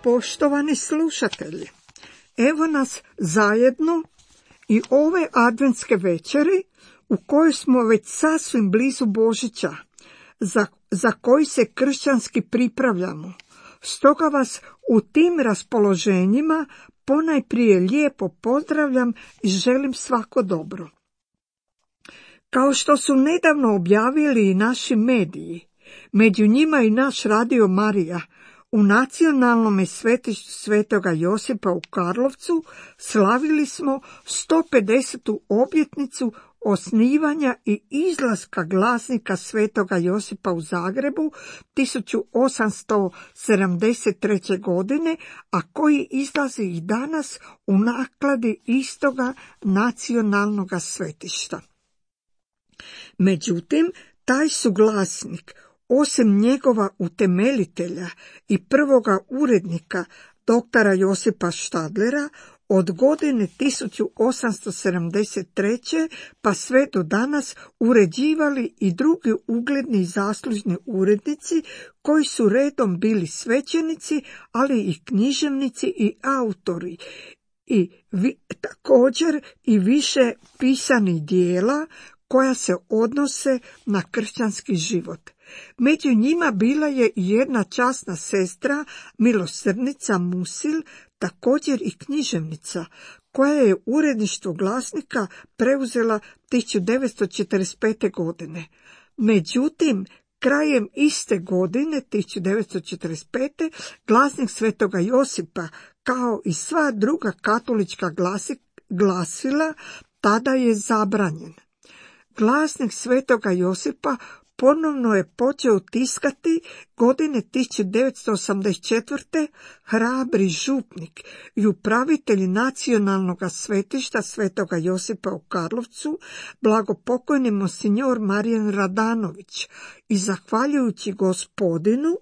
Poštovani slušatelji, evo nas zajedno i ove adventske večeri u kojoj smo već sasvim blizu Božića, za koji se kršćanski pripravljamo. Stoga vas u tim raspoloženjima ponajprije lijepo pozdravljam i želim svako dobro. Kao što su nedavno objavili i naši mediji, među njima i naš Radio Marija, u nacionalnom svetištu Svetoga Josipa u Karlovcu slavili smo 150. obljetnicu osnivanja i izlaska glasnika Svetoga Josipa u Zagrebu 1873. godine, a koji izlazi i danas u nakladi istoga nacionalnog svetišta. Međutim, taj su glasnik, osim njegova utemeljitelja i prvoga urednika, doktora Josipa Štadlera, od godine 1873. pa sve do danas uređivali i drugi ugledni i zaslužni urednici koji su redom bili svećenici, ali i književnici i autori. I također i više pisanih dijela koja se odnose na kršćanski život. Među njima bila je i jedna časna sestra, milosrdnica Musil, također i književnica, koja je uredništvo glasnika preuzela 1945. godine. Međutim, krajem iste godine, 1945. glasnik Svetoga Josipa, kao i sva druga katolička glasila, tada je zabranjen. Glasnik Svetoga Josipa ponovno je počeo tiskati godine 1984. hrabri župnik i upravitelj nacionalnog svetišta Svetoga Josipa u Karlovcu, blagopokojni monsignor Marijan Radanović, i zahvaljujući Gospodinu,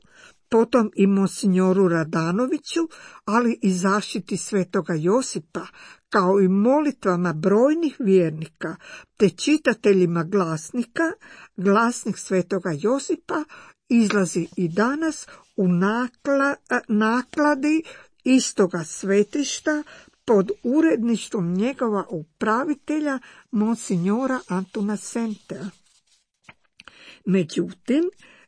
potom i monsignoru Radanoviću, ali i zaštiti Svetoga Josipa, kao i molitvama brojnih vjernika te čitateljima glasnika, glasnik Svetoga Josipa izlazi i danas u nakladi istoga svetišta pod uredništvom njegova upravitelja monsignora Antuna Sentea. Međutim,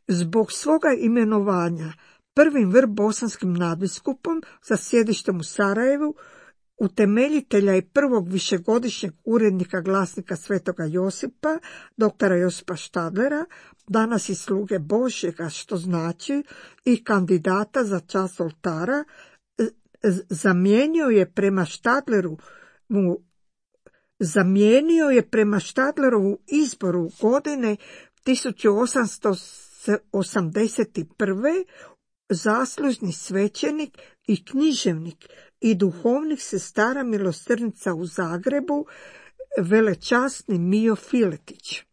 zbog svoga imenovanja prvim vrbosanskim nadbiskupom sa sjedištem u Sarajevu, utemeljitelja i prvog višegodišnjeg urednika glasnika Svetoga Josipa, doktora Josipa Štadlera, danas i sluge Božjega, što znači i kandidata za čast oltara, zamijenio je prema Štadlerovu izboru godine 1881. zaslužni svećenik i književnik i duhovnik sestara milosrdnica u Zagrebu, velečasni Mijo Filetić.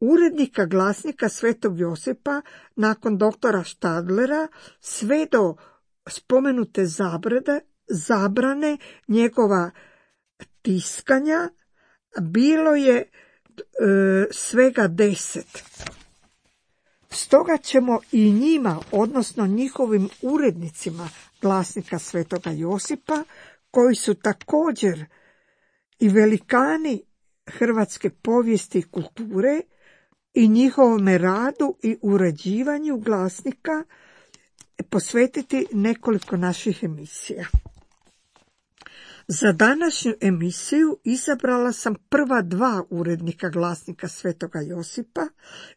Urednika glasnika Svetog Josipa nakon doktora Štadlera sve do spomenute zabrane njegova tiskanja bilo je svega 10. Stoga ćemo i njima, odnosno njihovim urednicima glasnika Svetoga Josipa, koji su također i velikani hrvatske povijesti i kulture, i njihovome radu i uređivanju glasnika posvetiti nekoliko naših emisija. Za današnju emisiju izabrala sam prva dva urednika glasnika Svetoga Josipa,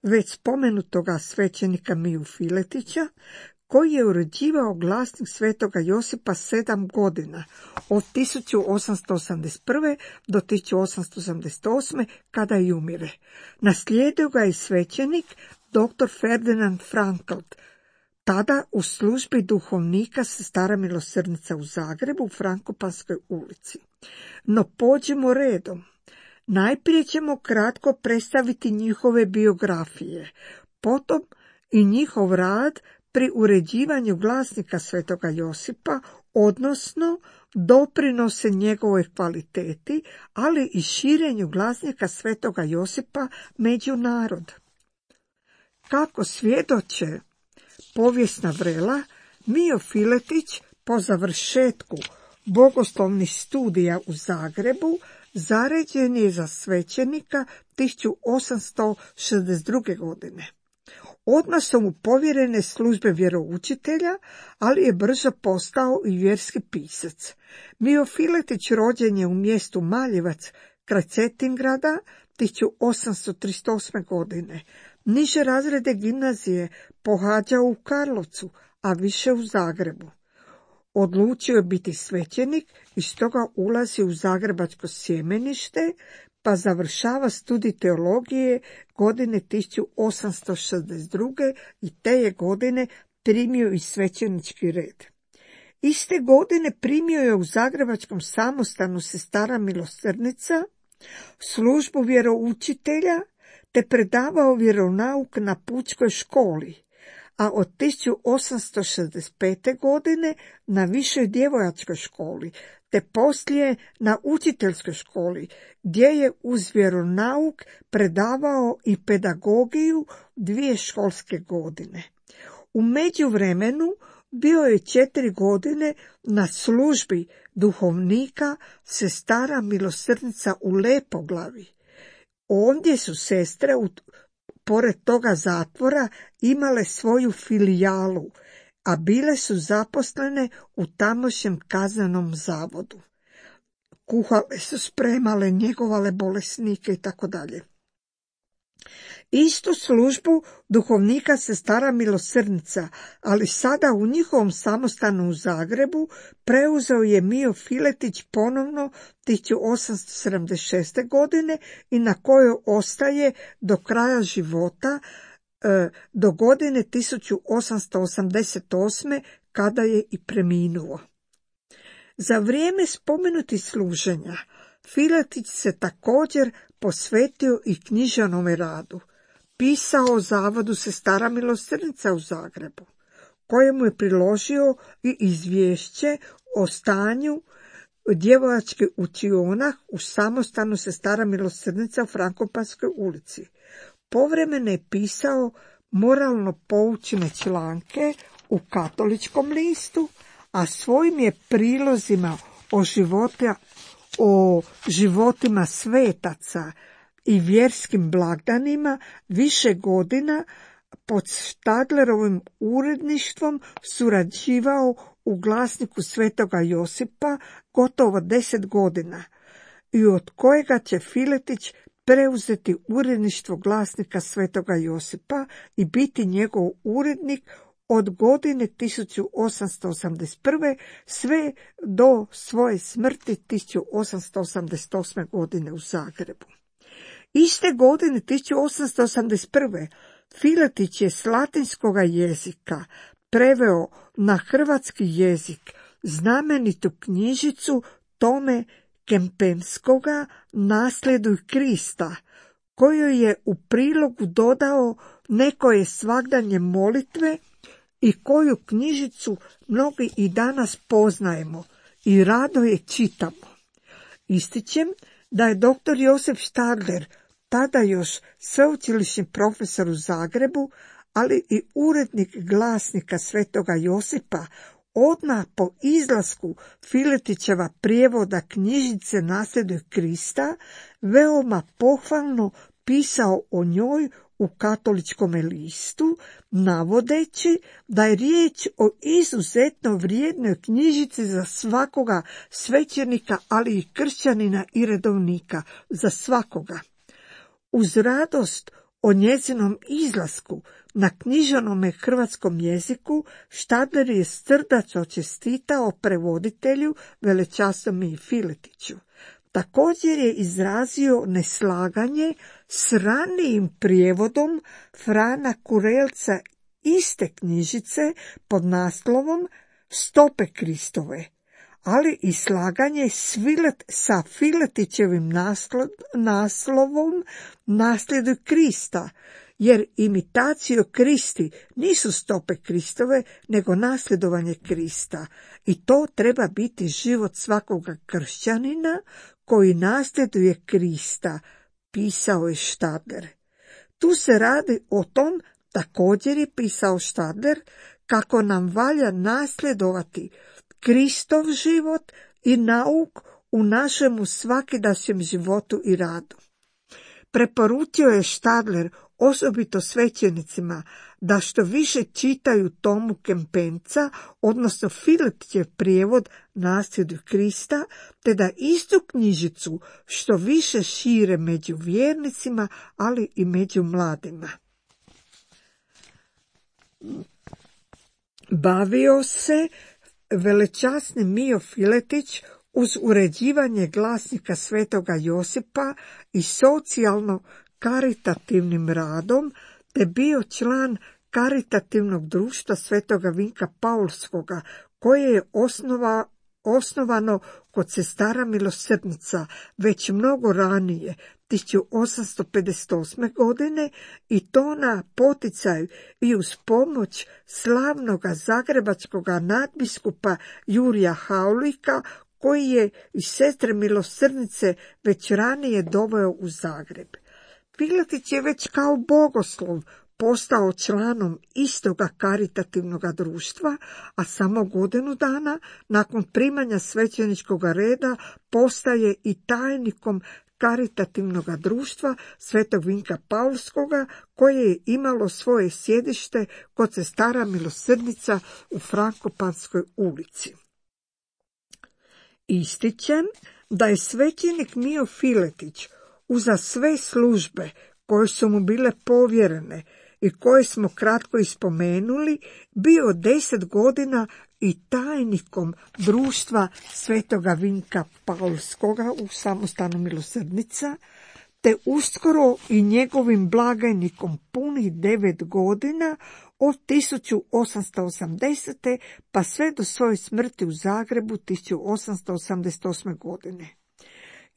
već spomenutoga svećenika Miju Filetića, koji je uređivao glasnik Svetoga Josipa 7 godina, od 1881. do 1888. kada i umire. Naslijedio ga je svećenik dr. Ferdinand Frankelt, tada u službi duhovnika sestara milosrdnica u Zagrebu u Frankopanskoj ulici. No pođimo redom. Najprije ćemo kratko predstaviti njihove biografije, potom i njihov rad pri uređivanju glasnika Svetoga Josipa, odnosno doprinose njegovoj kvaliteti, ali i širenju glasnika Svetoga Josipa među narod. Kako svjedoče povijesna vrela, Mijo Filetić Po završetku bogoslovnih studija u Zagrebu zaređen je za svećenika 1862. godine. Odmah su mu povjerene službe vjeroučitelja, ali je brzo postao i vjerski pisac. Mio Filetić rođen je u mjestu Maljevac kraj Cetingrada 1838. godine. Niže razrede gimnazije pohađao u Karlovcu, a više u Zagrebu. Odlučio je biti svećenik i stoga ulazi u zagrebačko sjemenište, pa završava studij teologije godine 1862. i te je godine primio i svećenički red. Iste godine primio je u zagrebačkom samostanu Sestara milosrdnica službu vjeroučitelja te predavao vjeronauk na pučkoj školi, a od 1865. godine na višoj djevojačkoj školi, te poslije na učiteljskoj školi, gdje je uz vjeronauk predavao i pedagogiju 2 školske godine. U međuvremenu bio je 4 godine na službi duhovnika Sestara milosrdnica u Lepoglavi. Ondje su sestre, pored toga zatvora, imale svoju filijalu, a bile su zaposlene u tamošnjem kaznenom zavodu. Kuhale su, spremale, njegovale bolesnike i tako dalje. Istu službu duhovnika Sestara milosrdnica, ali sada u njihovom samostanu u Zagrebu, preuzeo je Mio Filetić ponovno 1876. godine i na kojoj ostaje do kraja života, do godine 1888. kada je i preminuo. Za vrijeme spomenutih služenja Filetić se također posvetio i književnome radu. Pisao o zavodu Sestara milosrdnica u Zagrebu, kojemu je priložio i izvješće o stanju djevojačke učiona u samostanu Sestara milosrdnica u Frankopanskoj ulici. Povremeno je pisao moralno poučne članke u Katoličkom listu, a svojim je prilozima o životima svetaca i vjerskim blagdanima više godina pod Štadlerovim uredništvom surađivao u glasniku Svetoga Josipa gotovo 10 godina i od kojega će Filetić preuzeti uredništvo glasnika Svetoga Josipa i biti njegov urednik od godine 1881. sve do svoje smrti 1888. godine u Zagrebu. Iste godine 1881. Filetić je s latinskoga jezika preveo na hrvatski jezik znamenitu knjižicu Tome Kempenskoga Naslijeduj Krista, kojoj je u prilogu dodao nekoje svagdanje molitve i koju knjižicu mnogi i danas poznajemo i rado je čitamo. Ističem da je dr. Josip Štadler, tada još sveučilišni profesor u Zagrebu, ali i urednik glasnika Svetoga Josipa, odmah po izlasku Filetićeva prijevoda knjižice Naslijeduj Krista, veoma pohvalno pisao o njoj u Katoličkom listu, navodeći da je riječ o izuzetno vrijednoj knjižici za svakoga svećenika, ali i kršćanina i redovnika, za svakoga. Uz radost o njezinom izlasku na književnome hrvatskom jeziku, Štadler je srdačno čestitao prevoditelju velečasnom Filetiću. Također je izrazio neslaganje s ranijim prijevodom Frana Kurelca iste knjižice pod naslovom Stope Kristove, ali i slaganje sa Filetićevim naslovom Naslijeduj Krista, jer imitacijo Kristi nisu stope Kristove, nego nasljedovanje Krista. I to treba biti život svakoga kršćanina koji nasljeduje Krista, pisao je Štadler. Tu se radi o tom, također je pisao Štadler, kako nam valja nasljedovati Kristov život i nauk u našemu svakidašnjem životu i radu. Preporučio je Stadler osobito svećenicima da što više čitaju Tomu Kempenca, odnosno Filetićev prijevod Nasljeđu Krista, te da istu knjižicu što više šire među vjernicima, ali i među mladima. Bavio se velečasni Mijo Filetić uz uređivanje glasnika Svetoga Josipa i socijalno karitativnim radom, te bio član karitativnog društva Svetoga Vinka Paulskoga, koje je osnovano kod sestara milosrdnica već mnogo ranije, 1858. godine, i to na poticaj i uz pomoć slavnoga zagrebačkog nadbiskupa Jurija Haulika, koji je iz sestre milosrdnice već ranije doveo u Zagreb. Filetić je već kao bogoslov postao članom istoga karitativnog društva, a samo godinu dana nakon primanja svećeničkog reda postaje i tajnikom karitativnog društva Svetog Vinka Paulskoga, koje je imalo svoje sjedište kod sestara milosrdnica u Frankopanskoj ulici. Ističem da je svećenik Mijo Filetić uza sve službe koje su mu bile povjerene i koje smo kratko ispomenuli, bio 10 godina i tajnikom društva Svetoga Vinka Paulskoga u samostanu milosrdnica, te uskoro i njegovim blagajnikom punih 9 godina od 1880. pa sve do svoje smrti u Zagrebu 1888. godine.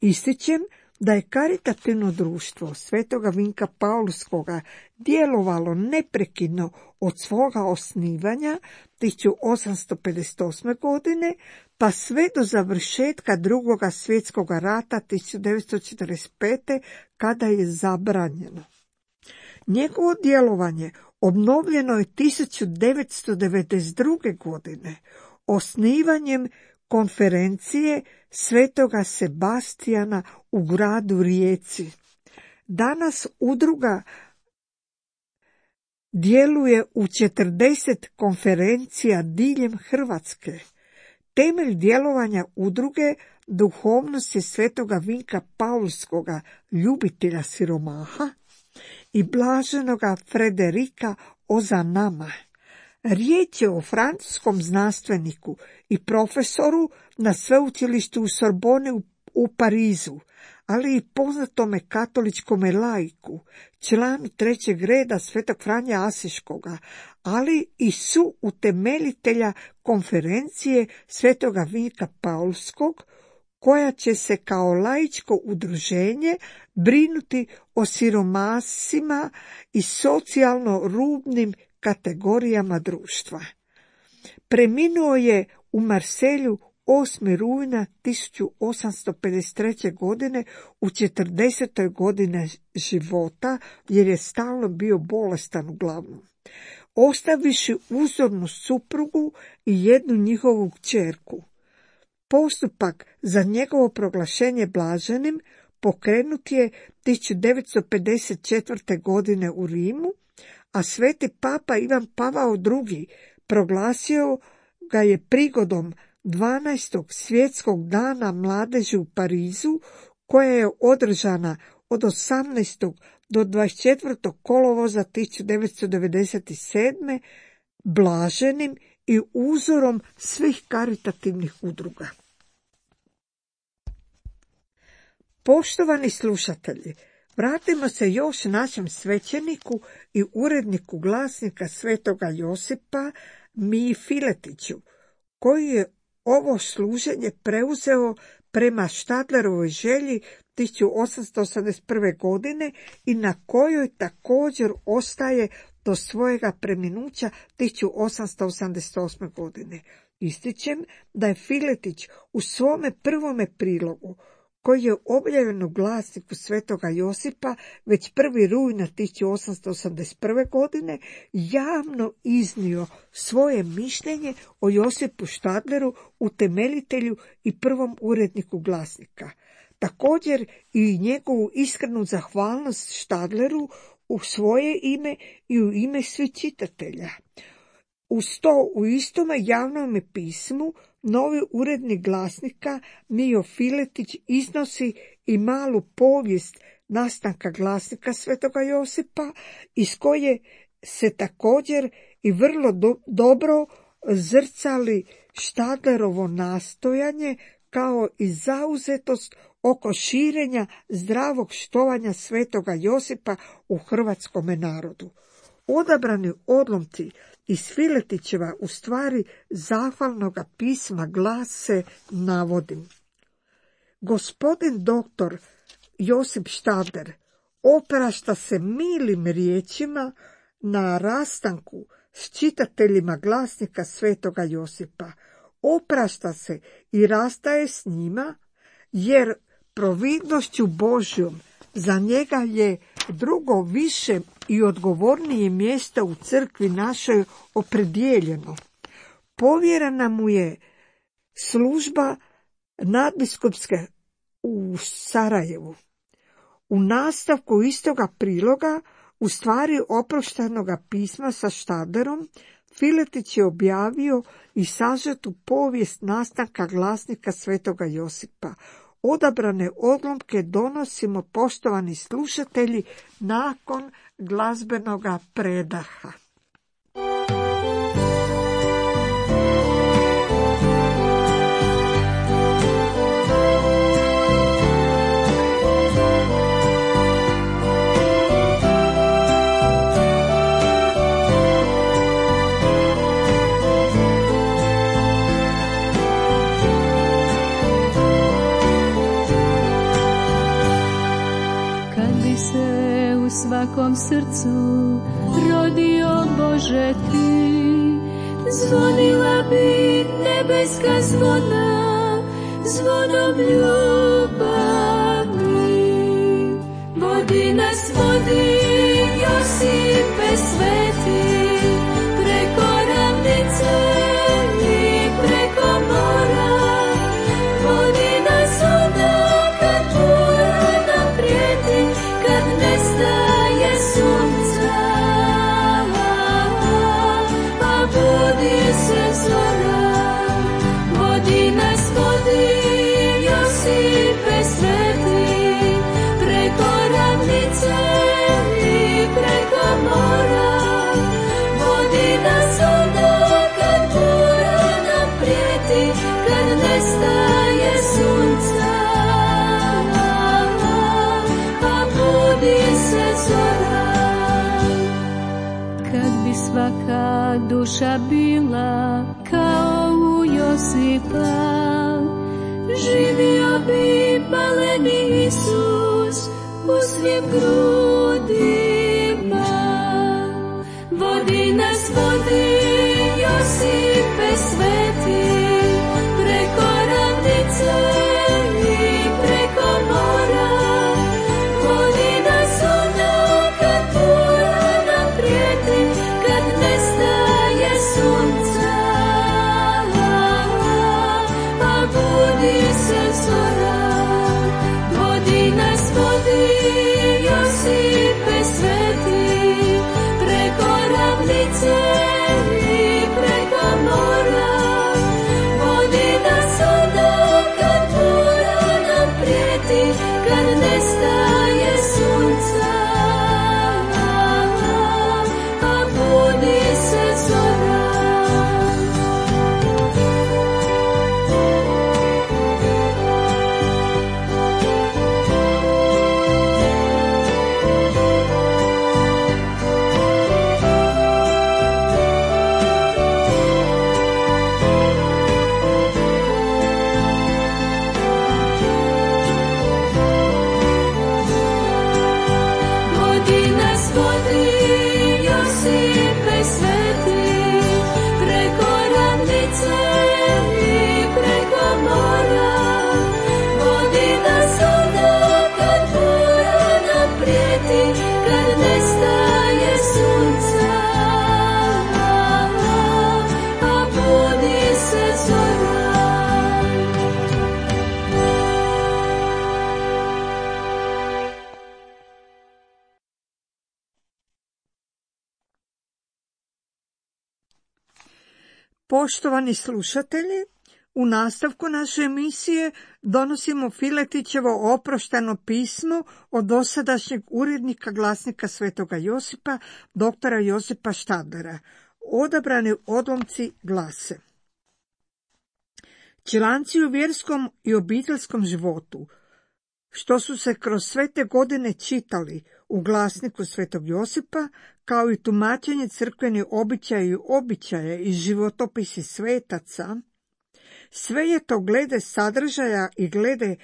Ističem da je karitativno društvo Svetoga Vinka Paulskoga djelovalo neprekidno od svoga osnivanja 1858. godine pa sve do završetka Drugoga svjetskog rata 1945. kada je zabranjeno. Njegovo djelovanje obnovljeno je 1992. godine osnivanjem konferencije Svetoga Sebastijana u gradu Rijeci. Danas udruga djeluje u 40 konferencija diljem Hrvatske. Temelj djelovanja udruge duhovnost je Svetoga Vinka Paulskoga, ljubitelja siromaha, i blaženoga Frederika Ozanama. Riječ je o francuskom znanstveniku i profesoru na sveučilištu u Sorboni u Parizu, ali i poznatome katoličkome laiku, članu 3. reda Svetog Franje Asiškoga, ali i su utemeljitelja konferencije Svetoga Vinka Paulskog, koja će se kao laičko udruženje brinuti o siromasima i socijalno rubnim kategorijama društva. Preminuo je u Marselju 8. rujna 1853. godine u 40. godine života, jer je stalno bio bolestan uglavnom, ostaviši uzornu suprugu i jednu njihovu kćerku. Postupak za njegovo proglašenje blaženim pokrenut je 1954. godine u Rimu, a sveti papa Ivan Pavao II. Proglasio ga je prigodom 12. svjetskog dana mladeži u Parizu, koja je održana od 18. do 24. kolovoza 1997. blaženim i uzorom svih karitativnih udruga. Poštovani slušatelji, vratimo se još našem svećeniku i uredniku glasnika Svetoga Josipa Miji Filetiću, koji je ovo služenje preuzeo prema Stadlerovoj želji 1881. godine i na kojoj također ostaje do svojega preminuća 1888. godine. Ističem da je Filetić u svome prvome prilogu koji je objavljen u glasniku Svetoga Josipa već 1. rujna 1881. godine, javno iznio svoje mišljenje o Josipu Štadleru, utemeljitelju i prvom uredniku glasnika. Također i njegovu iskrenu zahvalnost Štadleru u svoje ime i u ime svih čitatelja. Uz to u istome javnom pismu novi urednik glasnika Mijo Filetić iznosi i malu povijest nastanka glasnika Svetoga Josipa, iz koje se također i vrlo dobro zrcali Štadlerovo nastojanje kao i zauzetost oko širenja zdravog štovanja Svetoga Josipa u hrvatskome narodu. Odabrani odlomci iz Filetićeva u stvari zahvalnoga pisma glase, navodim: Gospodin doktor Josip Štadler oprašta se milim riječima na rastanku s čitateljima glasnika Svetoga Josipa. Oprašta se i rastaje s njima, jer providnošću Božjom za njega je drugo više i odgovornije mjesto u crkvi našoj opredijeljeno. Povjerena mu je služba nadbiskupske u Sarajevu. U nastavku istoga priloga, u stvari oproštenoga pisma sa Štadlerom, Filetić je objavio i sažetu povijest nastanka glasnika Svetoga Josipa. Odabrane odlomke donosimo, poštovani slušatelji, nakon glazbenoga predaha. Svakom srcu rodio Bože ti, zvonila bi nebeska zvona, zvonom ljubavi. Vodi nas, vodi, Josipe sveti, preko ravnice i preko mora. Vodi nas onda kad bura nam prijeti, kad nestaje sunca, pa budi se zora. Vodi nas, vodi, Josipe sveti, preko ravnice i preko mora. Vodi nas onda kad bura nam prijeti, kad nestaje sunca, pa budi se zora. Kad bi svaka duša bila kao u Josipa, živio bi maleni Isus u svim grudima. Vodi nas, vodi, Josipe sveti, preko ravnice i preko mora. Vodi nas onda kad bura nam prijeti, kad nestaje sunca, pa budi se zora. Vodi nas, vodi, Josipe sveti, preko ravnice Poštovani slušatelji, u nastavku naše emisije donosimo Filetićevo oprošteno pismo od dosadašnjeg urednika Glasnika Svetoga Josipa, doktora Josipa Štadlera. Odabrani odlomci glase: članci u vjerskom i obiteljskom životu, što su se kroz sve te godine čitali u Glasniku Svetog Josipa, kao i tumačenje crkvenih običaja i životopisi svetaca, sve je to glede sadržaja i glede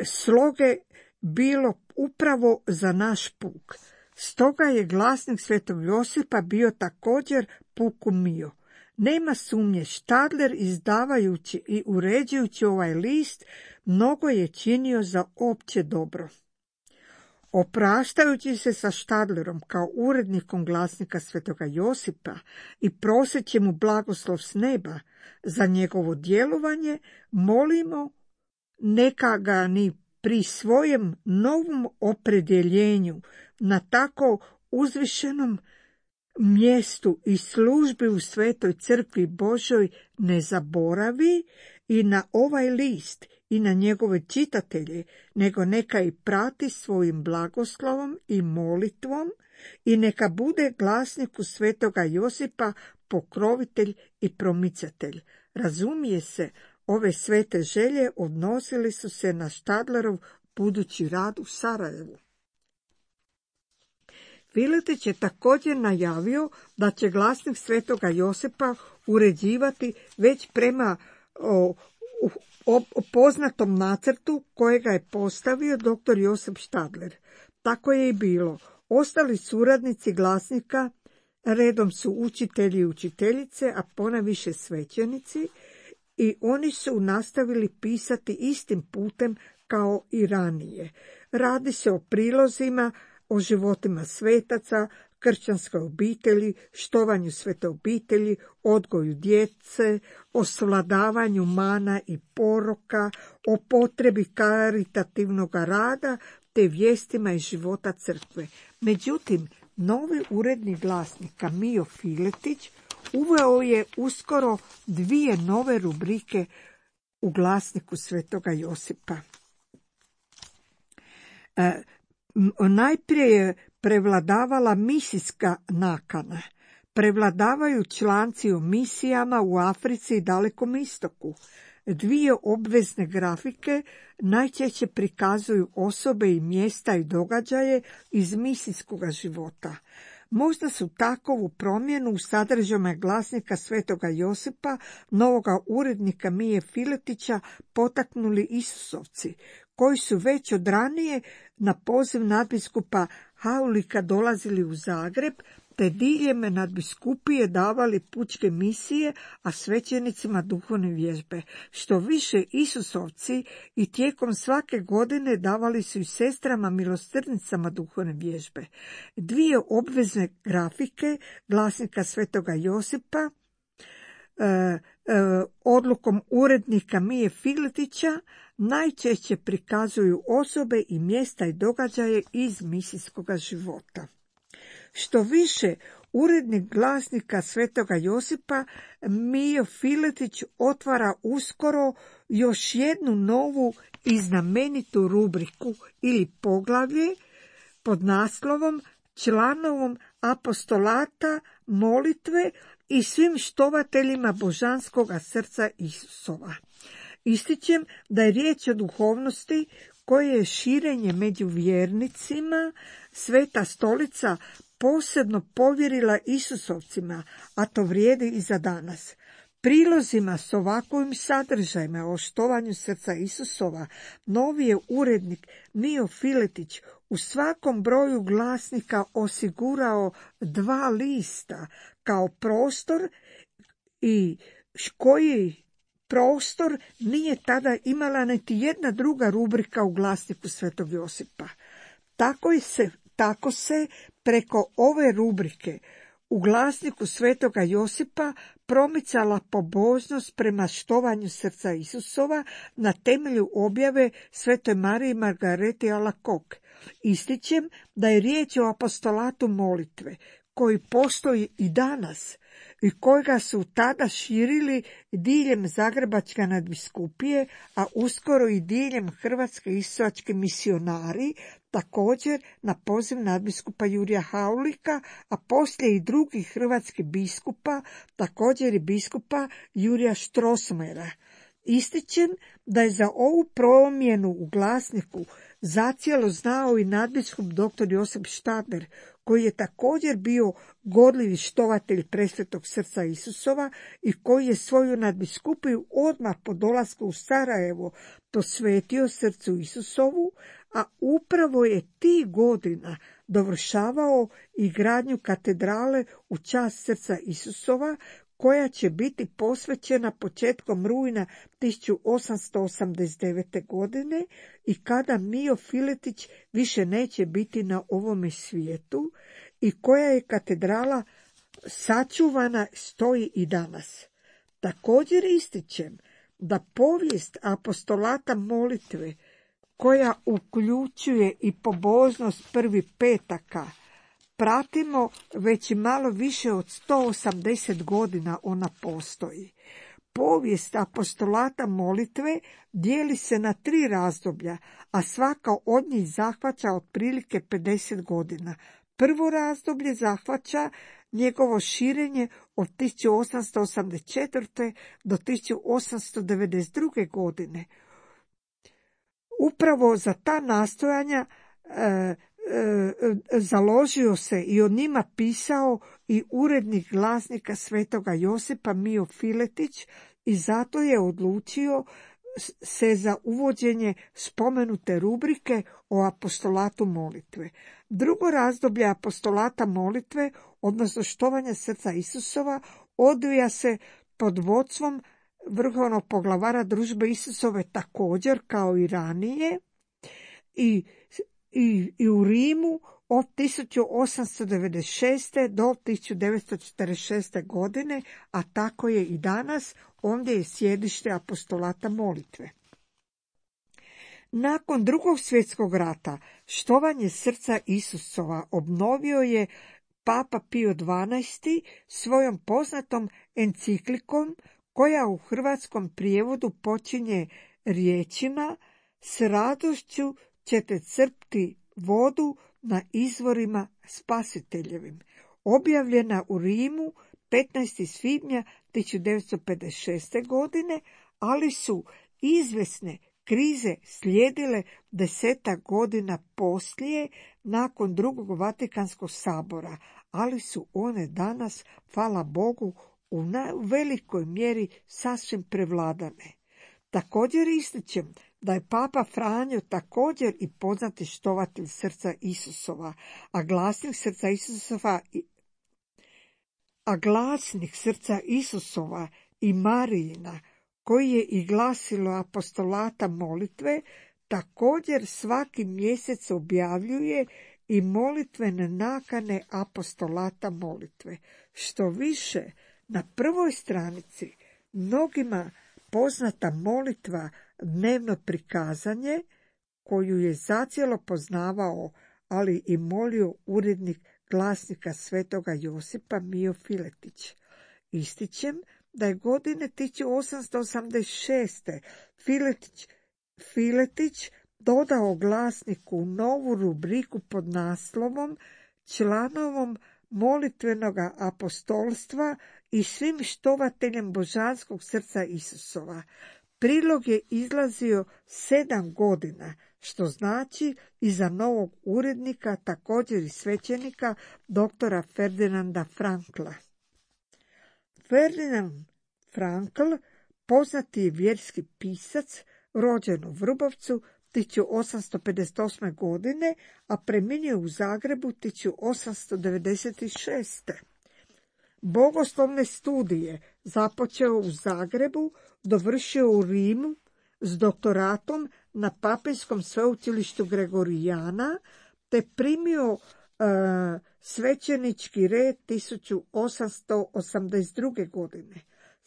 sloge bilo upravo za naš puk. Stoga je Glasnik Svetog Josipa bio također puku mio. Nema sumnje, Štadler izdavajući i uređujući ovaj list mnogo je činio za opće dobro. Opraštajući se sa Štadlerom kao urednikom Glasnika Svetoga Josipa i proseći mu blagoslov s neba za njegovo djelovanje, molimo neka ga ni pri svojem novom opredjeljenju na tako uzvišenom mjestu i službi u Svetoj crkvi Božoj ne zaboravi i na ovaj list i na njegove čitatelje, nego neka i prati svojim blagoslovom i molitvom i neka bude Glasniku Svetoga Josipa pokrovitelj i promicatelj. Razumije se, ove svete želje odnosili su se na Štadlerov budući rad u Sarajevu. Filetić je također najavio da će Glasnik Svetoga Josipa uređivati već prema poznatom nacrtu kojega je postavio dr. Josip Štadler. Tako je i bilo. Ostali suradnici Glasnika redom su učitelji i učiteljice, a ponajviše svećenici, i oni su nastavili pisati istim putem kao i ranije. Radi se o prilozima, o životima svetaca, kršćanskoj obitelji, štovanju svete obitelji, odgoju djece, o svladavanju mana i poroka, o potrebi karitativnog rada, te vijestima iz života crkve. Međutim, novi urednik Glasnika Mio Filetić uveo je uskoro 2 nove rubrike u Glasniku Svetoga Josipa. Najprije je prevladavala misijska nakana. Prevladavaju članci o misijama u Africi i Dalekom istoku. 2 obvezne grafike najčešće prikazuju osobe i mjesta i događaje iz misijskog života. Možda su takovu promjenu u sadržajima Glasnika Svetoga Josipa, novoga urednika Mije Filetića, potaknuli Isusovci, koji su već od ranije na poziv nadbiskupa Haulika dolazili u Zagreb, te diljem nadbiskupije davali pučke misije, a svećenicima duhovne vježbe. Što više, Isusovci i tijekom svake godine davali su i sestrama milosrdnicama duhovne vježbe. 2 obvezne grafike Glasnika Svetoga Josipa odlukom urednika Mije Filetića najčešće prikazuju osobe i mjesta i događaje iz misijskog života. Što više, urednik Glasnika Svetoga Josipa Mio Filetić otvara uskoro još jednu novu i znamenitu rubriku ili poglavlje pod naslovom Članovom apostolata, molitve i svim štovateljima božanskoga srca Isusova. Ističem da je riječ o duhovnosti koje je širenje među vjernicima Sveta Stolica posebno povjerila Isusovcima, a to vrijedi i za danas. Prilozima s ovakvim sadržajima o štovanju srca Isusova novi je urednik Mio Filetić u svakom broju Glasnika osigurao 2 lista kao prostor i koji prostor nije tada imala niti jedna druga rubrika u Glasniku Svetog Josipa. Tako se preko ove rubrike u Glasniku Svetoga Josipa promicala pobožnost prema štovanju srca Isusova na temelju objave Svetoj Mariji Margareti Alacoque. Ističem da je riječ o apostolatu molitve, koji postoji i danas, i kojega su tada širili diljem Zagrebačke nadbiskupije, a uskoro i diljem Hrvatske istočke misionari, također na poziv nadbiskupa Jurija Haulika, a poslije i drugih hrvatskih biskupa, također i biskupa Jurija Štrosmajera. Ističem da je za ovu promjenu u glasniku zacijelo znao i nadbiskup dr. Josip Štaber, koji je također bio gorljivi štovatelj presvetog srca Isusova i koji je svoju nadbiskupiju odmah po dolasku u Sarajevo posvetio srcu Isusovu, a upravo je tih godina dovršavao i gradnju katedrale u čast srca Isusova, koja će biti posvećena početkom rujna 1889. godine i kada Mijo Filetić više neće biti na ovome svijetu i koja je katedrala sačuvana, stoji i danas. Također ističem da povijest apostolata molitve, koja uključuje i pobožnost prvi petaka, pratimo već i malo više od 180 godina ona postoji. Povijest apostolata molitve dijeli se na 3 razdoblja, a svaka od njih zahvaća otprilike 50 godina. Prvo razdoblje zahvaća njegovo širenje od 1884. do 1892. godine. Upravo za ta nastojanja založio se i o njima pisao i urednik glasnika Svetoga Josipa Mijo Filetić i zato je odlučio se za uvođenje spomenute rubrike o apostolatu molitve. Drugo razdoblje apostolata molitve, odnosno štovanja srca Isusova, odvija se pod vodstvom vrhovnog poglavara Družbe Isusove također kao i ranije i u Rimu od 1896. do 1946. godine, a tako je i danas, ondje je sjedište apostolata molitve. Nakon Drugog svjetskog rata štovanje srca Isusova obnovio je Papa Pio XII svojom poznatom enciklikom, koja u hrvatskom prijevodu počinje riječima: "S radošću ćete crpti vodu na izvorima spasiteljevim", objavljena u Rimu 15. svibnja 1956. godine, ali su izvjesne krize slijedile 10 godina poslije, nakon Drugog Vatikanskog sabora, ali su one danas, hvala Bogu, u velikoj mjeri sasvim prevladane. Također ističem da je Papa Franjo također i poznati štovatelj srca Isusova, a glasnik srca Isusova i Marijina, koji je i glasilo apostolata molitve, također svaki mjesec objavljuje i molitvene nakane apostolata molitve. Što više, na prvoj stranici mnogima poznata molitva Dnevno prikazanje, koju je zacijelo poznavao, ali i molio urednik glasnika Svetoga Josipa Mijo Filetić. Ističem da je godine 1886. Filetić dodao glasniku novu rubriku pod naslovom "Članovom molitvenoga apostolstva i svim štovateljem božanskog srca Isusova". Prilog je izlazio 7 godina, što znači i za novog urednika, također i svećenika, doktora Ferdinanda Frankla. Ferdinand Frankl, poznati je vjerski pisac, rođen u Vrbovcu 1858. godine, a preminio u Zagrebu 1896. Bogoslovne studije započeo u Zagrebu, dovršio u Rimu s doktoratom na Papinskom sveučilištu Gregorijana, te primio svećenički red 1882. godine.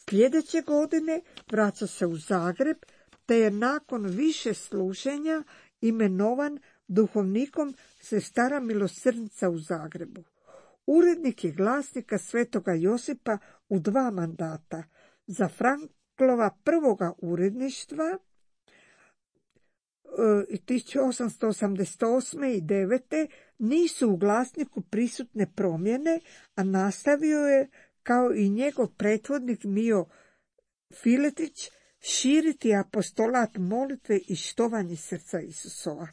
Sljedeće godine vraća se u Zagreb, te je nakon više služenja imenovan duhovnikom Sestara milosrdnica u Zagrebu. Urednik je glasnika Svetoga Josipa u 2 mandata. Za Franklova prvoga uredništva 1888. i 9. nisu u glasniku prisutne promjene, a nastavio je, kao i njegov prethodnik Mio Filetić, širiti apostolat molitve i štovanje srca Isusova.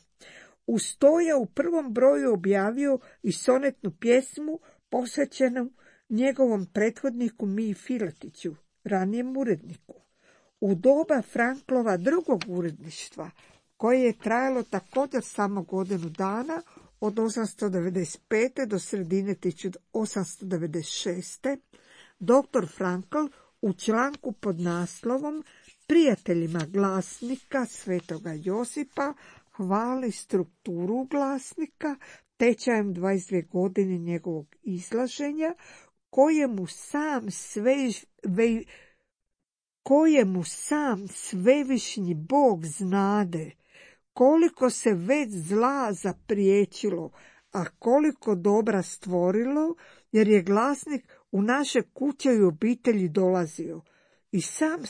Uz to je u prvom broju objavio i sonetnu pjesmu posvećenu njegovom prethodniku Miji Filetiću, ranijem uredniku. U doba Franklova drugog uredništva, koje je trajalo također samo godinu dana, od 895. do sredine 1896. dr. Frankl u članku pod naslovom Prijateljima glasnika Svetoga Josipa hvali strukturu glasnika tečajem 22 godine njegovog izlaženja, kojemu sam svevišnji Bog znade koliko se već zla zapriječilo, a koliko dobra stvorilo, jer je glasnik u naše kuće i obitelji dolazio. I sam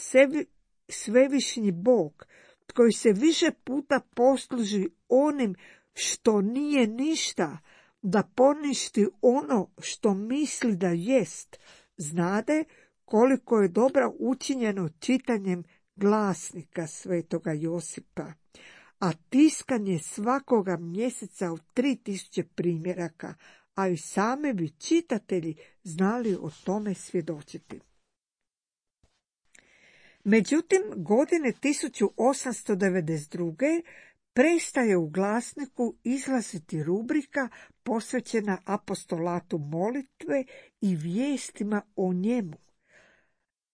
svevišnji Bog, koji se više puta posluži onim što nije ništa, da poništi ono što misli da jest, znade koliko je dobro učinjeno čitanjem glasnika Svetoga Josipa, a tiskanje svakoga mjeseca od 3000 primjeraka, a i sami bi čitatelji znali o tome svjedočiti. Međutim, godine 1892. prestaje u glasniku izlaziti rubrika posvećena apostolatu molitve i vijestima o njemu.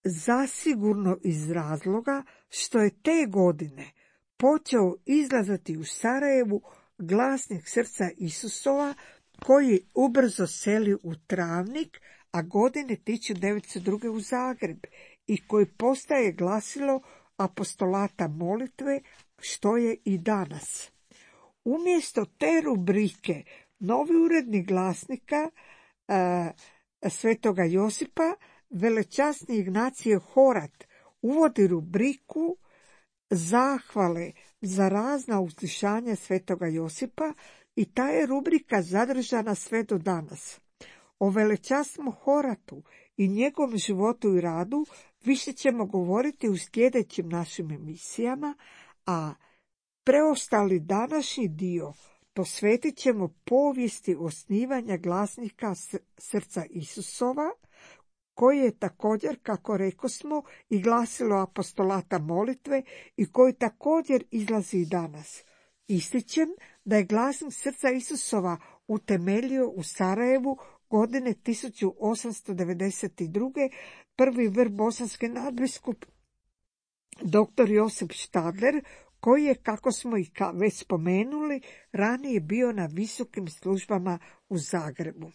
Zasigurno iz razloga što je te godine počeo izlazati u Sarajevu glasnik srca Isusova, koji ubrzo seli u Travnik, a godine 1902. u Zagreb, i koji postaje glasilo apostolata molitve, što je i danas. Umjesto te rubrike, novi urednik glasnika Svetoga Josipa, velečasni Ignacije Horat, uvodi rubriku zahvale za razna uzvišanja Svetoga Josipa i ta je rubrika zadržana sve do danas. O velečasnom Horatu i njegovom životu i radu više ćemo govoriti u sljedećim našim emisijama, a preostali današnji dio posvetit ćemo povijesti osnivanja glasnika srca Isusova, koji je također, kako rekosmo, i glasilo apostolata molitve i koji također izlazi i danas. Ističem da je glasnik srca Isusova utemeljio u Sarajevu godine 1892. prvi bosanski nadbiskup dr. Josip Štadler, koji je, kako smo i već spomenuli, ranije bio na visokim službama u Zagrebu.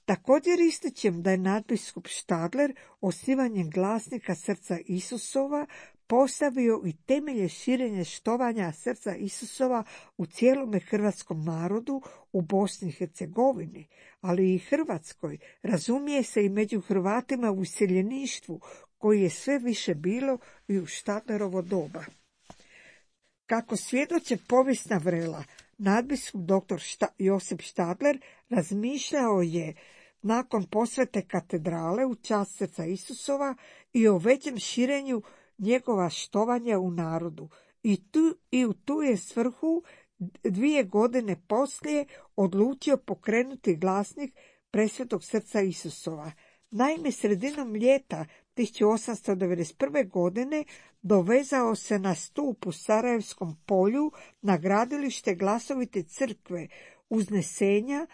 Također ističem da je nadbiskup Štadler osnivanjem glasnika srca Isusova postavio i temelje širenja štovanja srca Isusova u cijelome hrvatskom narodu u Bosni i Hercegovini, ali i Hrvatskoj, razumije se i među Hrvatima u iseljeništvu, koji je sve više bilo i u Štadlerovo doba. Kako svjedoče povijesna vrela, nadbiskup dr. Josip Štadler razmišljao je nakon posvete katedrale u čast srca Isusova i o većem širenju njegova štovanja u narodu. I u tu je svrhu 2 godine poslije odlučio pokrenuti glasnik presvetog srca Isusova. Naime, sredinom ljeta 1891. godine dovezao se na stup u Sarajevskom polju na gradilište glasovite crkve Uznesenja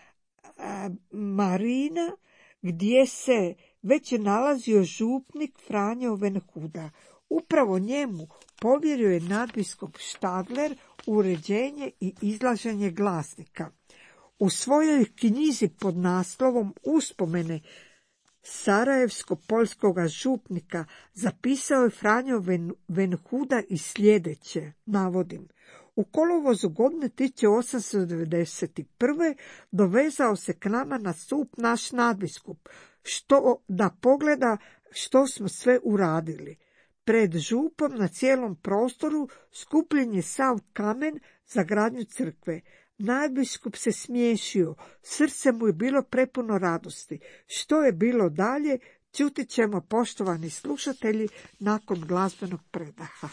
Marina, gdje se već nalazio župnik Franjo Venhuda. Upravo njemu povjerio je nadbiskup Štadler uređenje i izlaženje glasnika. U svojoj knjizi pod naslovom Uspomene sarajevsko-poljskoga župnika zapisao je Franjo Venhuda i sljedeće, navodim: u kolovozu godine 1891. dovezao se k nama na stup naš nadbiskup, da pogleda što smo sve uradili. Pred župom na cijelom prostoru skupljen je sav kamen za gradnju crkve. Nadbiskup se smiješio, srce mu je bilo prepuno radosti. Što je bilo dalje, čuti ćemo, poštovani slušatelji, nakon glazbenog predaha.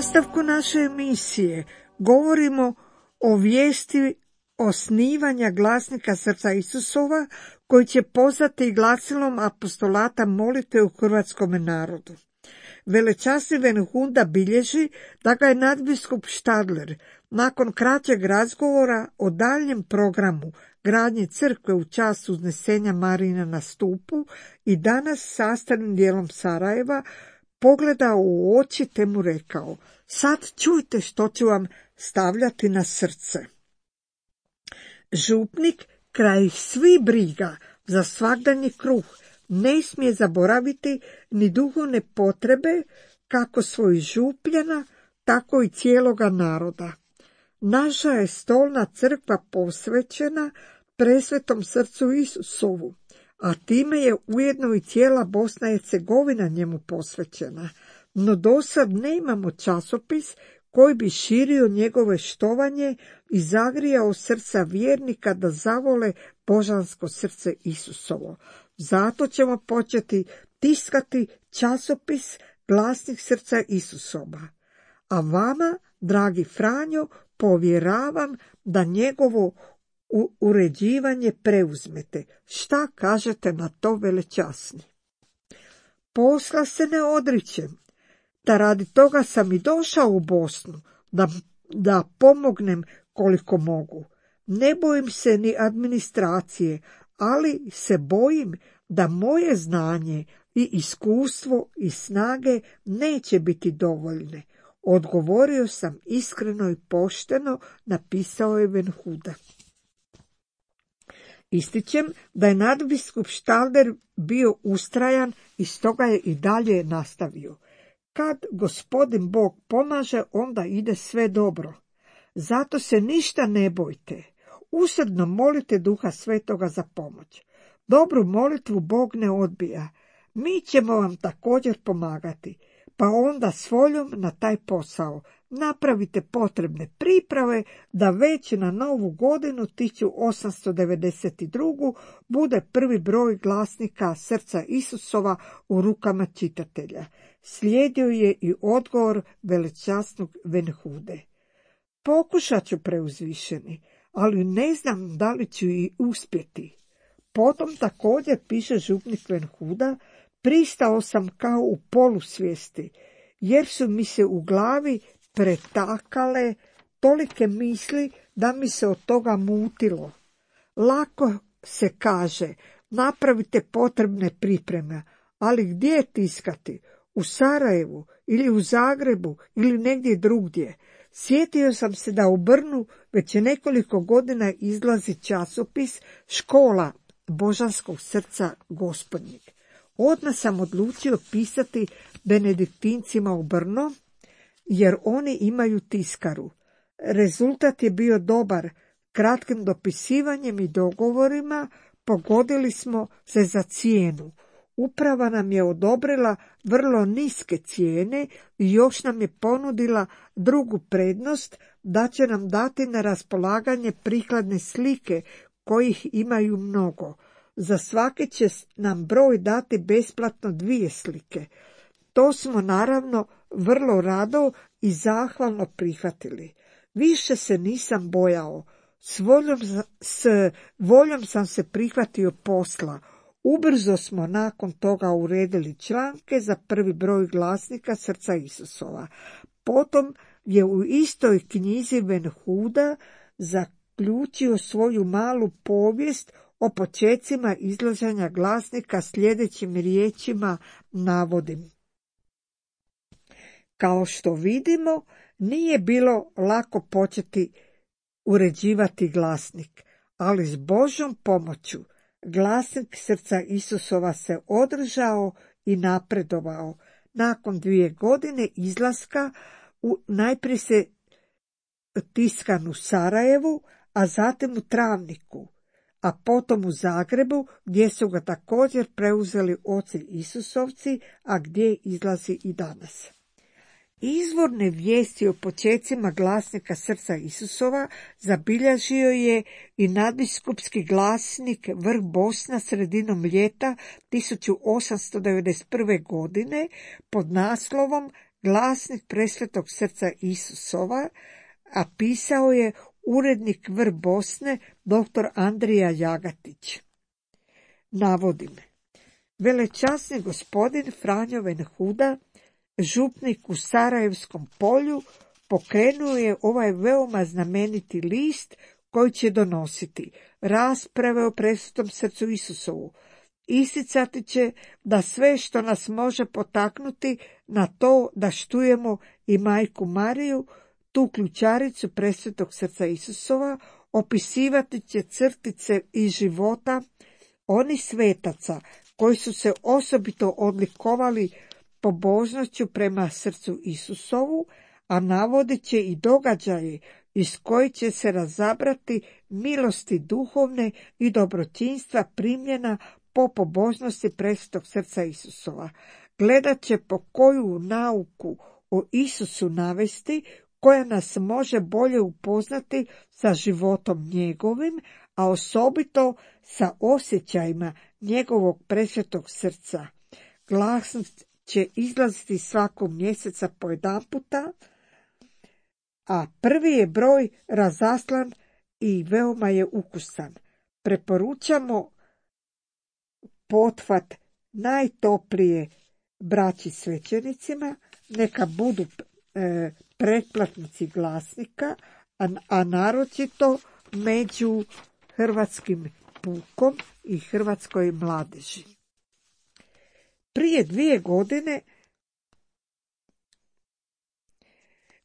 nastavku naše emisije govorimo o vijesti osnivanja glasnika srca Isusova koji će pozvati glasilom apostolata molitve u hrvatskom narodu. Velečasni Venhunda bilježi da ga je nadbiskup Štadler nakon kraćeg razgovora o daljnjem programu gradnje crkve u čast uznesenja Marina na stupu i danas sastavnim dijelom Sarajeva pogledao u oči te mu rekao: sad čujte što ću vam stavljati na srce. Župnik kraj svi briga za svagdanji kruh ne smije zaboraviti ni duhovne potrebe kako svojih župljana, tako i cijeloga naroda. Naša je stolna crkva posvećena presvetom srcu Isusovu, a time je ujedno i cijela Bosna i Hercegovina njemu posvećena, no dosad nemamo časopis koji bi širio njegove štovanje i zagrijao srca vjernika da zavole božansko srce Isusovo. Zato ćemo početi tiskati časopis Glasnik srca Isusova. A vama, dragi Franjo, povjeravam da njegovo uređivanje preuzmete. Šta kažete na to, velečasni? Posla se ne odričem, da radi toga sam i došao u Bosnu, da pomognem koliko mogu. Ne bojim se ni administracije, ali se bojim da moje znanje i iskustvo i snage neće biti dovoljne. Odgovorio sam iskreno i pošteno, napisao je Venhuda. Ističem da je nadbiskup Štalder bio ustrajan i stoga je i dalje nastavio. Kad Gospodin Bog pomaže, onda ide sve dobro. Zato se ništa ne bojte. Usrdno molite Duha Svetoga za pomoć. Dobru molitvu Bog ne odbija. Mi ćemo vam također pomagati. Pa onda s voljom na taj posao napravite potrebne priprave da već na novu godinu 1892. bude prvi broj glasnika Srca Isusova u rukama čitatelja. Slijedio je i odgovor velečasnog Venhude. Pokušat ću, preuzvišeni, ali ne znam da li ću i uspjeti. Potom također, piše župnik Venhuda, pristao sam kao u polusvijesti, jer su mi se u glavi pretakale tolike misli da mi se od toga mutilo. Lako se kaže, napravite potrebne pripreme, ali gdje tiskati? U Sarajevu ili u Zagrebu ili negdje drugdje. Sjetio sam se da u Brnu već nekoliko godina izlazi časopis Škola Božanskog srca Gospodnjeg. Odmah sam odlučio pisati benediktincima u Brno, jer oni imaju tiskaru. Rezultat je bio dobar. Kratkim dopisivanjem i dogovorima pogodili smo se za cijenu. Uprava nam je odobrila vrlo niske cijene i još nam je ponudila drugu prednost, da će nam dati na raspolaganje prikladne slike, kojih imaju mnogo. Za svake će nam broj dati besplatno 2 slike. To smo naravno vrlo rado i zahvalno prihvatili. Više se nisam bojao. S voljom sam se prihvatio posla. Ubrzo smo nakon toga uredili članke za prvi broj glasnika Srca Isusova. Potom je u istoj knjizi Venhuda zaključio svoju malu povijest o počecima izlaženja glasnika sljedećim riječima navodim. Kao što vidimo, nije bilo lako početi uređivati glasnik, ali s Božjom pomoću glasnik Srca Isusova se održao i napredovao. Nakon 2 godine izlaska najprije se tiskan u Sarajevu, a zatim u Travniku, a potom u Zagrebu, gdje su ga također preuzeli oci Isusovci, a gdje izlazi i danas. Izvorne vijesti o počecima glasnika Srca Isusova zabilježio je i nadbiskupski glasnik Vrh Bosna sredinom ljeta 1891. godine pod naslovom Glasnik Presvetog Srca Isusova, a pisao je urednik Vrh Bosne dr. Andrija Jagatić. Navodim. Velečasni gospodin Franjo Venhuda, župnik u Sarajevskom polju, pokrenuo je ovaj veoma znameniti list koji će donositi rasprave o presvetom Srcu Isusovu. Isticati će da sve što nas može potaknuti na to da štujemo i Majku Mariju, tu ključaricu presvetog Srca Isusova, opisivati će crtice iz života onih svetaca koji su se osobito odlikovali pobožnošću prema Srcu Isusovu, a navodit će i događaje iz kojih će se razabrati milosti duhovne i dobročinstva primljena po pobožnosti presvetog Srca Isusova. Gledat će po koju nauku o Isusu navesti, koja nas može bolje upoznati sa životom njegovim, a osobito sa osjećajima njegovog presvetog srca. Glasnik će izlaziti svakog mjeseca po jedanputa, a prvi je broj razaslan i veoma je ukusan. Preporučamo pothvat najtoplije braći svećenicima, neka budu pretplatnici glasnika, a naročito među hrvatskim pukom i hrvatskoj mladeži. Prije 2 godine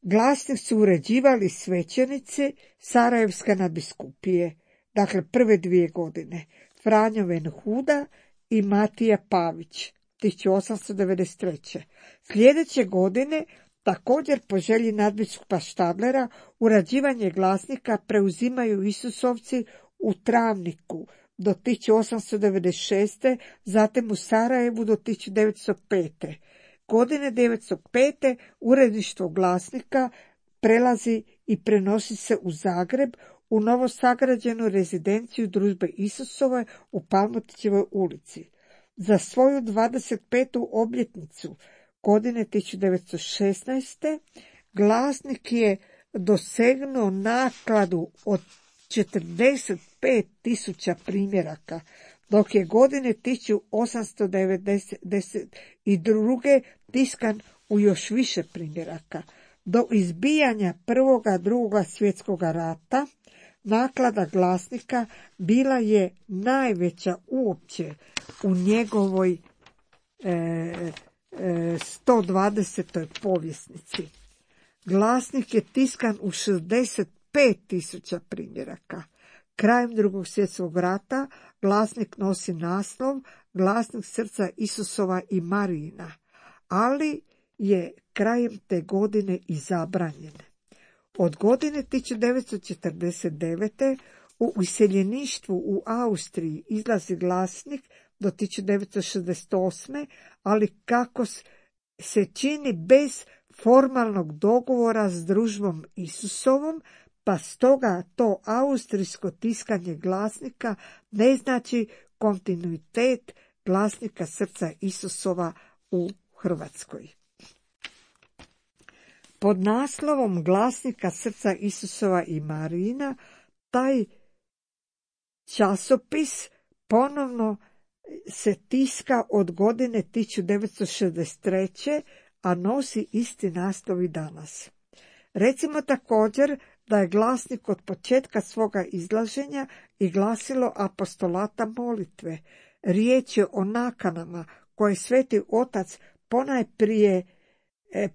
Glasnik su uređivali svećenici Sarajevska nadbiskupije, dakle prve 2 godine, Franjo Venhuda i Matija Pavić, 1893. Sljedeće godine, također po želji nadbiskupa Štadlera, urađivanje glasnika preuzimaju Isusovci u Travniku do 1896. zatim u Sarajevu do 1905. Godine 1905. uredništvo glasnika prelazi i prenosi se u Zagreb u novosagrađenu rezidenciju Družbe Isusove u Palmotićevoj ulici. Za svoju 25. obljetnicu godine 1916. glasnik je dosegnuo nakladu od 45.000 primjeraka, dok je godine 1892. tiskan u još više primjeraka. Do izbijanja Prvoga, Drugoga svjetskog rata naklada glasnika bila je najveća uopće u njegovoj 120. povjesnici. Glasnik je tiskan u 65.000 primjeraka. Krajem Drugog svjetskog rata glasnik nosi naslov Glasnik srca Isusova i Marijina, ali je krajem te godine i zabranjen. Od godine 1949. u iseljeništvu u Austriji izlazi glasnik do 1968. ali kako se čini bez formalnog dogovora s Družbom Isusovom, pa stoga to austrijsko tiskanje glasnika ne znači kontinuitet glasnika srca Isusova u Hrvatskoj. Pod naslovom Glasnika srca Isusova i Marijina taj časopis ponovno se tiska od godine 1963. a nosi isti naslov i danas. Recimo također da je glasnik od početka svoga izlaženja i glasilo apostolata molitve. Riječ je o nakanama koje Sveti Otac ponajprije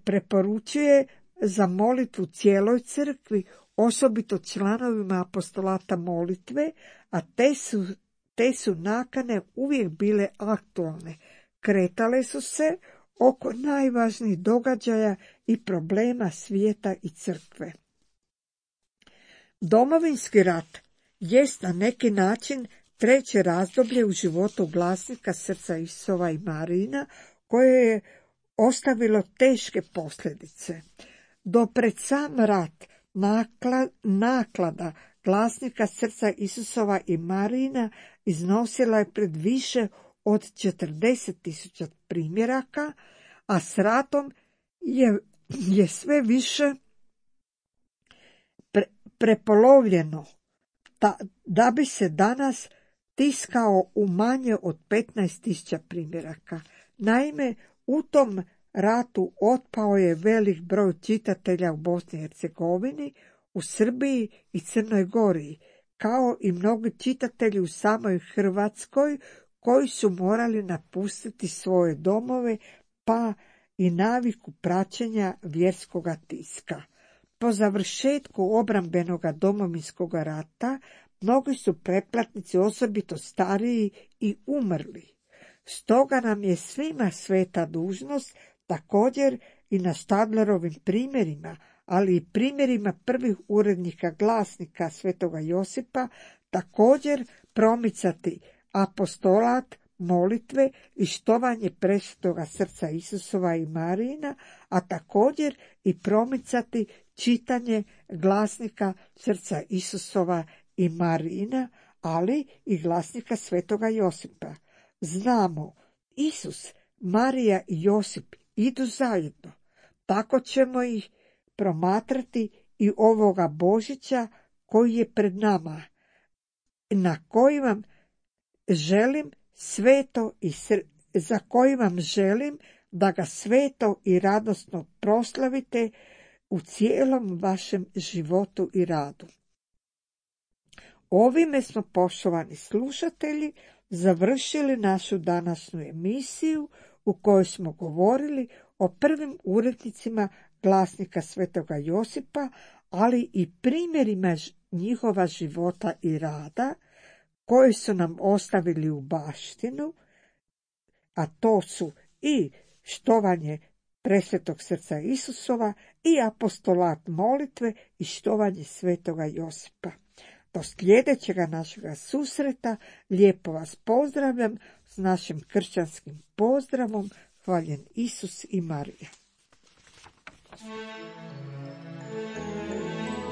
preporučuje za molitvu cijeloj crkvi, osobito članovima apostolata molitve, a te su nakane uvijek bile aktualne. Kretale su se oko najvažnijih događaja i problema svijeta i crkve. Domovinski rat jest na neki način treće razdoblje u životu glasnika srca Isusova i Marijina, koje je ostavilo teške posljedice. Do pred sam rat naklada glasnika srca Isusova i Marijina iznosila je pred više od 40.000 primjeraka, a s ratom je sve više prepolovljeno, da bi se danas tiskao u manje od 15.000 primjeraka. Naime, u tom ratu otpao je velik broj čitatelja u Bosni i Hercegovini, u Srbiji i Crnoj Gori, kao i mnogi čitatelji u samoj Hrvatskoj koji su morali napustiti svoje domove, pa i naviku praćenja vjerskoga tiska. Po završetku obrambenoga Domovinskog rata mnogi su pretplatnici, osobito stariji, i umrli. Stoga nam je svima sveta dužnost, također i na Štadlerovim primjerima, ali i primjerima prvih urednika glasnika Svetoga Josipa, također promicati apostolat molitve i štovanje presvetoga srca Isusova i Marijina, a također i promicati čitanje glasnika srca Isusova i Marijina, ali i glasnika Svetoga Josipa. Znamo, Isus, Marija i Josip idu zajedno. Tako ćemo ih promatrati i ovoga Božića koji je pred nama, na koji vam želim za koji vam želim da ga sveto i radosno proslavite u cijelom vašem životu i radu. Ovime smo, poštovani slušatelji, završili našu današnju emisiju u kojoj smo govorili o prvim urednicima glasnika svetoga Josipa, ali i primjerima njihova života i rada koji su nam ostavili u baštinu, a to su i štovanje presvetog srca Isusova i apostolat molitve i štovanje svetoga Josipa. Do sljedećega našega susreta lijepo vas pozdravljam s našim kršćanskim pozdravom. Hvaljen Isus i Marija.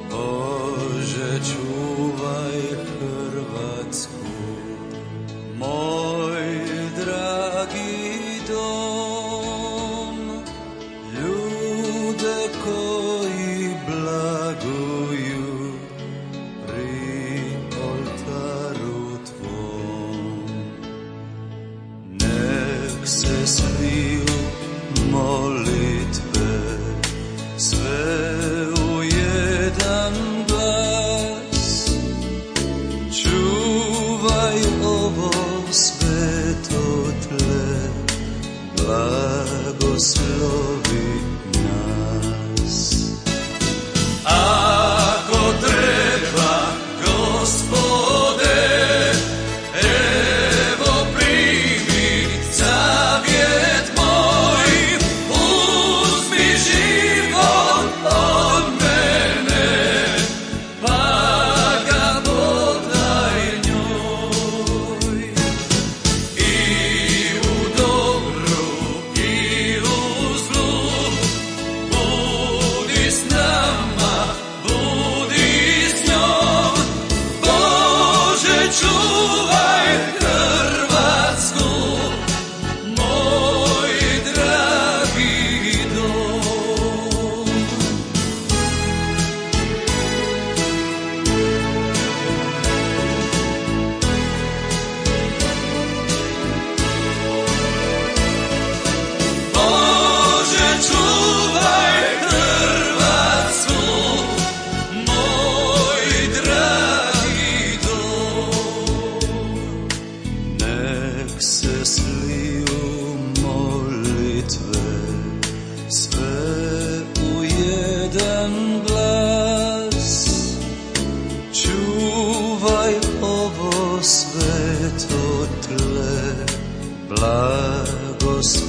Bože, čuvaj Hrvatsku, moj dragi dom, ljude koji blaguju pri oltaru tvom. Nek se sliju molitve sve u jedan glas, čuvaj ovo sveto tle, blagoslovi nas. Ako treba, Gospode, evo primi zavjet moj, uzmi život od mene, pa ga podaj njoj. I u dobru i u zlu, budi s nama, budi s njom. Bože, čuvaj Hrvatsku, moj dragi dom. Bože, čuvaj Hrvatsku, moj dragi dom. Nek se sliju molitve sve u jedan glas, čuvaj ovo sveto tle, blagoslovi